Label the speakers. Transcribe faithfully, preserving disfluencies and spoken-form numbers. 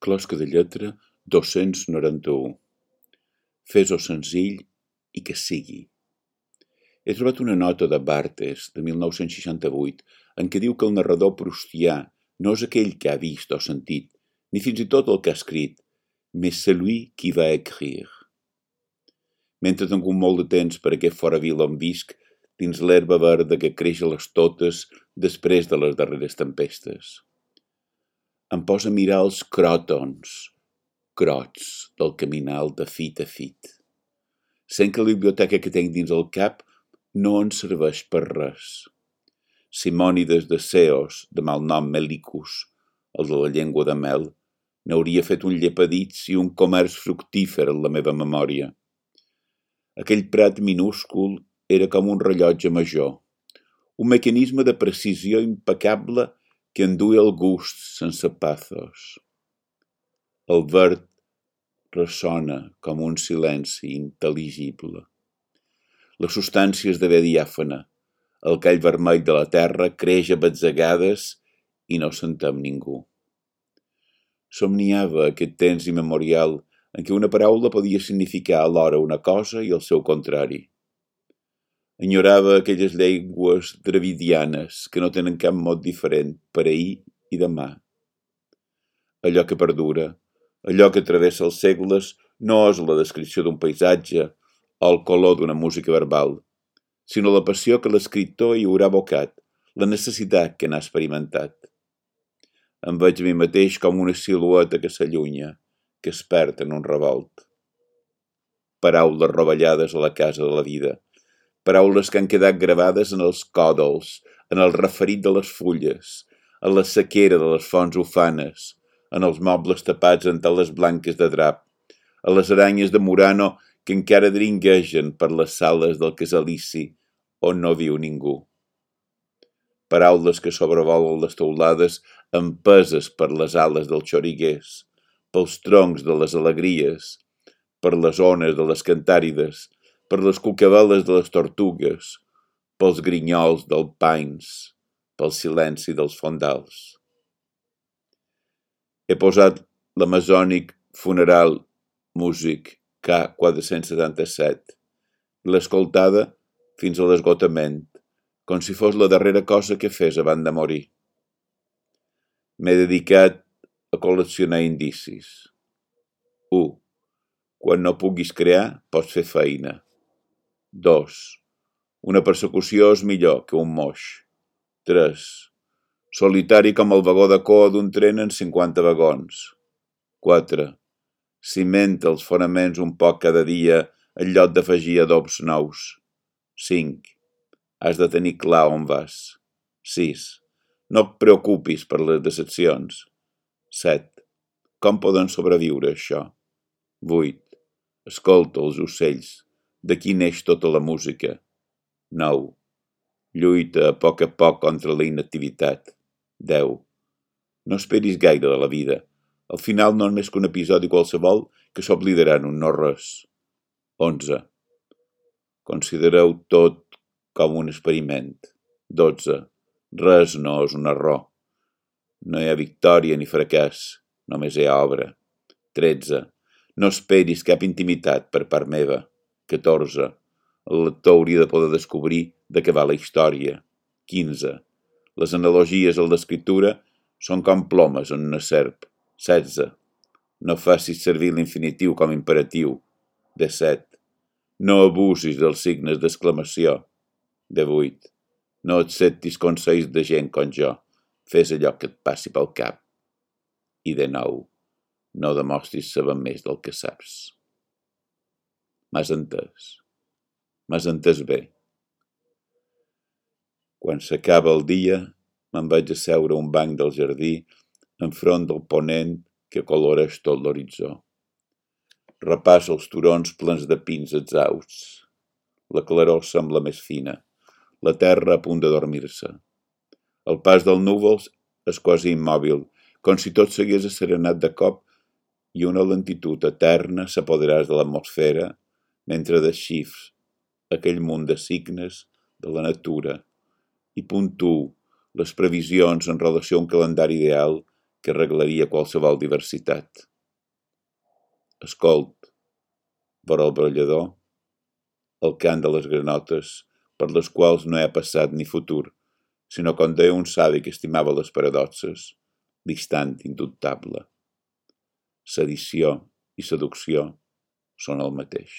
Speaker 1: Closca de lletra dos-cents noranta-u. Fes-ho senzill i que sigui. He trobat una nota de Barthes, de mil nou-cents seixanta-vuit, en què diu que el narrador proustià no és aquell que ha vist o sentit, ni fins i tot el que ha escrit, mais celui qui va écrire. Mentre tinc molt de temps per aquest fora vila on visc, dins l'herba verda que creix a les totes després de les darreres tempestes. Em posa a mirar els cròtons, crots del caminal de fit a fit. Sent que la biblioteca que tinc dins el cap no ens serveix per res. Simònides de Ceos, de mal nom Melicus, el de la llengua de mel, n'hauria fet un llepadits i un comerç fructífer en la meva memòria. Aquell prat minúscul era com un rellotge major, un mecanisme de precisió impecable que enduia el gust sense pathos. El verd ressona com un silenci intel·ligible. La substància esdevé diàfana. El call vermell de la terra creix a batzegades i no sentem ningú. Somniava aquest temps immemorial en què una paraula podia significar alhora una cosa i el seu contrari. Enyorava aquelles llengües dravidianes que no tenen cap mot diferent per ahir i demà. Allò que perdura, allò que travessa els segles, no és la descripció d'un paisatge o el color d'una música verbal, sinó la passió que l'escriptor hi haurà abocat, la necessitat que n'ha experimentat. Em veig a mi mateix com una silueta que s'allunya, que es perd en un revolt. Paraules rovellades a la casa de la vida, paraules que han quedat gravades en els còdols, en el referit de les fulles, en la sequera de les fonts ufanes, en els mobles tapats en teles blanques de drap, a les aranyes de Murano que encara dringuegen per les sales del casalici on no viu ningú. Paraules que sobrevolen les teulades empeses per les ales dels xoriguers, pels troncs de les alegries, per les ones de les cantàrides, per les cucaveles de les tortugues, pels grinyols dels pines, pel silenci dels fondals. He posat l'Amazonic Funeral Music K quatre-cents setanta-set i l'he escoltada fins a l'esgotament, com si fos la darrera cosa que fes abans de morir. M'he dedicat a col·leccionar indicis. u. Quan no puguis crear, pots fer feina. dos. Una persecució és millor que un moix. tres. Solitari com el vagó de coa d'un tren en cinquanta vagons. quatre. Cimenta els fonaments un poc cada dia en lloc d'afegir adobs nous. cinc. Has de tenir clar on vas. sis. No et preocupis per les decepcions. set. Com poden sobreviure això? vuit. Escolta els ocells. D'aquí neix tota la música. nou. Lluita a poc a poc contra la inactivitat. deu. No esperis gaire de la vida. Al final no és més que un episodi qualsevol que s'oblidarà en un no-res. onze. Considereu tot com un experiment. dotze. Res no és un error. No hi ha victòria ni fracàs, només hi ha obra. tretze. No esperis cap intimitat per part meva. catorze. El lector hauria de poder descobrir de què va la història. quinze. Les analogies en l'escriptura són com plomes en una serp. setze. No facis servir l'infinitiu com imperatiu. disset. No abusis dels signes d'exclamació. divuit. No acceptis consells de gent com jo. Fes allò que et passi pel cap. I de nou, no demostris saber més del que saps. M'has entès? M'has entès bé? Quan s'acaba el dia, me'n vaig a seure a un banc del jardí enfront del ponent que coloreix tot l'horitzó. Repassa els turons plens de pins exhausts. La claror sembla més fina. La terra a punt de dormir-se. El pas dels núvols és quasi immòbil, com si tot s'hagués asserenat de cop i una lentitud eterna s'apoderàs de l'atmosfera mentre desxifrs aquell munt de signes de la natura i puntuo les previsions en relació a un calendari ideal que arreglaria qualsevol diversitat. Escolt, vora el brollador, el cant de les granotes, per les quals no hi ha passat ni futur, sinó com deia un savi que estimava les paradoxes, l'instant indubtable. Sedició i seducció són el mateix.